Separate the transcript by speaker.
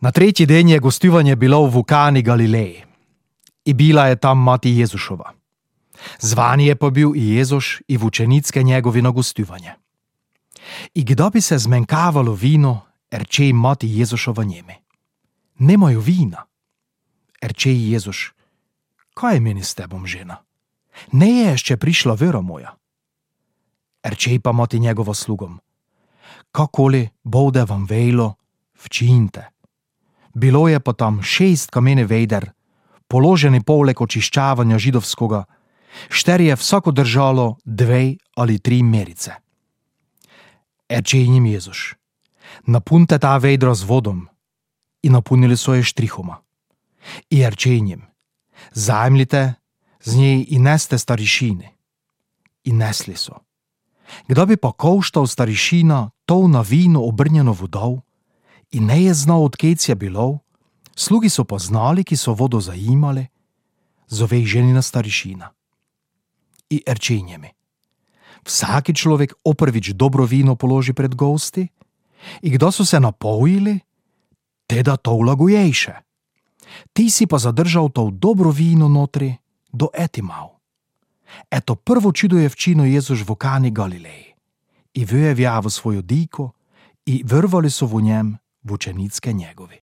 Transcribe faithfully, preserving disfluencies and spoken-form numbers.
Speaker 1: Na tretji den je gostovanje bilo v Kani Galileji i bila je tam mati Jezušova. Zvani je pa bil i Jezuš i vučenicke njegovi na gostovanje. I kdo bi se zmenkavalo vino, erče mati Jezušova njemi. Nemaju vina. Erče Jezuš, kaj je meni s tebom, žena? Ne je ještě prišla vera moja. Erče pa mati njegovo slugom, kakoli bude vam vejlo, včinite. Bilo je pa tam šest kamene vejder, položeni poleg očiščavanja židovskoga, šterje vsako držalo dve ali tri merice. Erče njim Jezuš, napunte ta vejdra z vodom, i napunili so je štrihoma. I erče njim, zajmljite z njej i neste starišini. I nesli so. Kdo bi pa koštal starišina to na vino obrnjeno vodov, i ne je znal, odkec je bilo, slugi so pa znali, ki so vodo zajimali, zove jih ženina starišina. I erče njemi, vsaki človek oprvič dobro vino položi pred gosti, i kdo so se napojili, teda to vlagujejše. Ti si pa zadržal to dobro vino notri do etimav. Eto prvo čudo je včino Jezuš v Kani Galileji i vyjevjavo svojo diko i vrvali so v njem vučenicke njegovi.